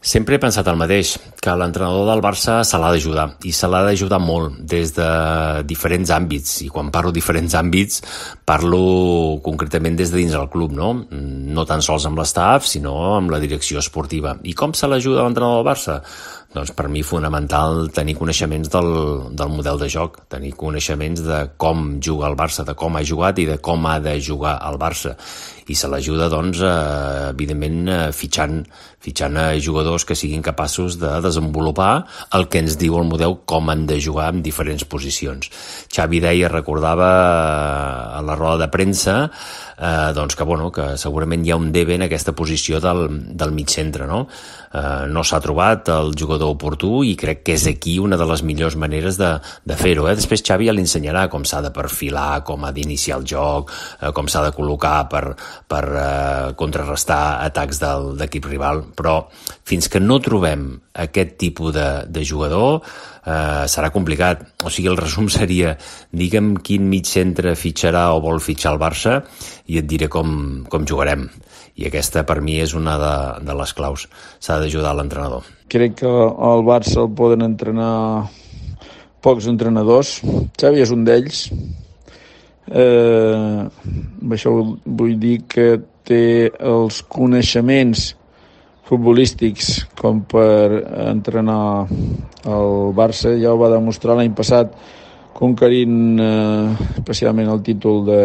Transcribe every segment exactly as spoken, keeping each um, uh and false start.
Sempre he pensat el mateix, que l'entrenador del Barça se l'ha d'ajudar, i se l'ha d'ajudar molt, des de diferents àmbits, i quan parlo diferents àmbits, parlo concretament des de dins del club, no? No tan sols amb l'estaf, sinó amb la direcció esportiva. I com se l'ajuda l'entrenador del Barça? Doncs per mi fonamental tenir coneixements del, del model de joc, tenir coneixements de com juga el Barça, de com ha jugat i de com ha de jugar el Barça. I se l'ajuda, doncs, eh, evidentment, eh, fitxant, fitxant a jugadors que siguin capaços de desenvolupar el que ens diu el model, com han de jugar en diferents posicions. Xavi deia, recordava a la roda de premsa, eh, doncs que, bueno, que segurament hi ha un debe en aquesta posició del, del mig centre, no? Eh, no s'ha trobat el jugador oportú i crec que és aquí una de les millors maneres de, de fer-ho. Eh? Després Xavi ja l'ensenyarà com s'ha de perfilar, com ha d'iniciar el joc, eh, com s'ha de col·locar per, per eh, contrarrestar atacs del, d'equip rival, però fins que no trobem aquest tipus de, de jugador eh, serà complicat. O sigui, el resum seria, digue'm quin mig centre fitxarà o vol fitxar el Barça i et diré com, com jugarem. I aquesta per mi és una de, de les claus. S'ha d'ajudar l'entrenador. Crec que al Barça el poden entrenar pocs entrenadors. Xavi és un d'ells. Eh, això vull dir que té els coneixements futbolístics com per entrenar el Barça. Ja ho va demostrar l'any passat conquerint eh, especialment el títol de,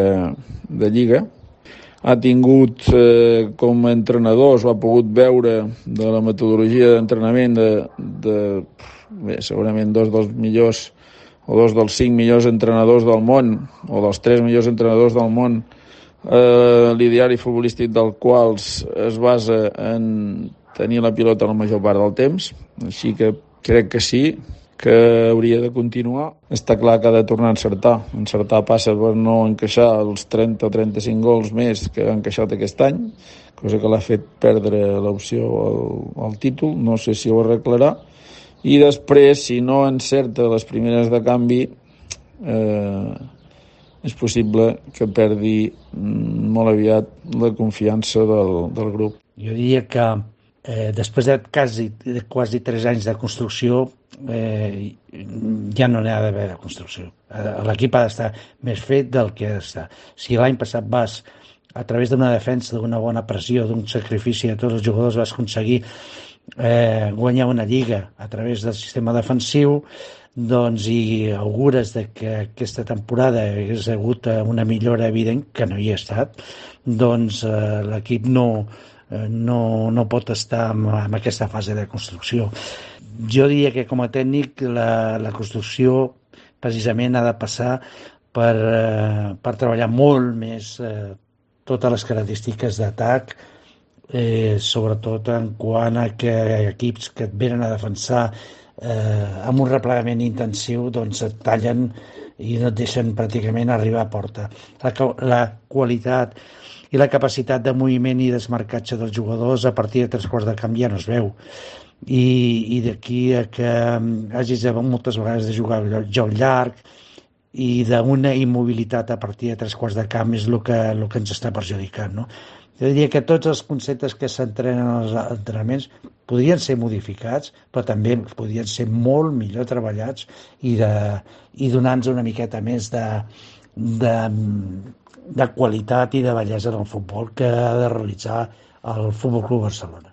de Lliga. Ha tingut eh, com a entrenadors, o ha pogut veure de la metodologia d'entrenament de, de bé, segurament dos dels millors o dos dels cinc millors entrenadors del món, o dels tres millors entrenadors del món, eh, l'ideari futbolístic del qual es basa en tenir la pilota la major part del temps. Així que crec que sí, que hauria de continuar. Està clar que ha de tornar a encertar. Encertar passa per no encaixar els trenta o trenta-cinc gols més que ha encaixat aquest any, cosa que l'ha fet perdre l'opció al, al títol. No sé si ho arreglarà. I després, si no encerta les primeres de canvi, eh, és possible que perdi molt aviat la confiança del, del grup. Jo diria que eh, després de quasi, de quasi tres anys de construcció, eh, ja no n'hi ha d'haver de construcció. L'equip ha d'estar més fet del que ha d'estar. Si l'any passat vas, a través d'una defensa, d'una bona pressió, d'un sacrifici de tots els jugadors, vas aconseguir eh, guanyar una lliga a través del sistema defensiu, doncs, i augures de que aquesta temporada hagués hagut una millora evident, que no hi ha estat, doncs eh, l'equip no, eh, no, no pot estar en, en aquesta fase de construcció. Jo diria que com a tècnic la, la construcció precisament ha de passar per, eh, per treballar molt més eh, totes les característiques d'atac, eh, sobretot en quant a que equips que et venen a defensar eh, amb un replegament intensiu doncs et tallen i no et deixen pràcticament arribar a porta. La, la qualitat i la capacitat de moviment i desmarcatge dels jugadors a partir de tres quarts de camp ja no es veu. I, i d'aquí a que hagis de moltes vegades de jugar joc llarg i d'una immobilitat a partir de tres quarts de camp és el que, el que ens està perjudicant, no? Jo diria que tots els conceptes que s'entrenen als entrenaments podrien ser modificats, però també podrien ser molt millor treballats i, de, i donar-nos una miqueta més de, de, de qualitat i de bellesa en el futbol que ha de realitzar el Futbol Club Barcelona.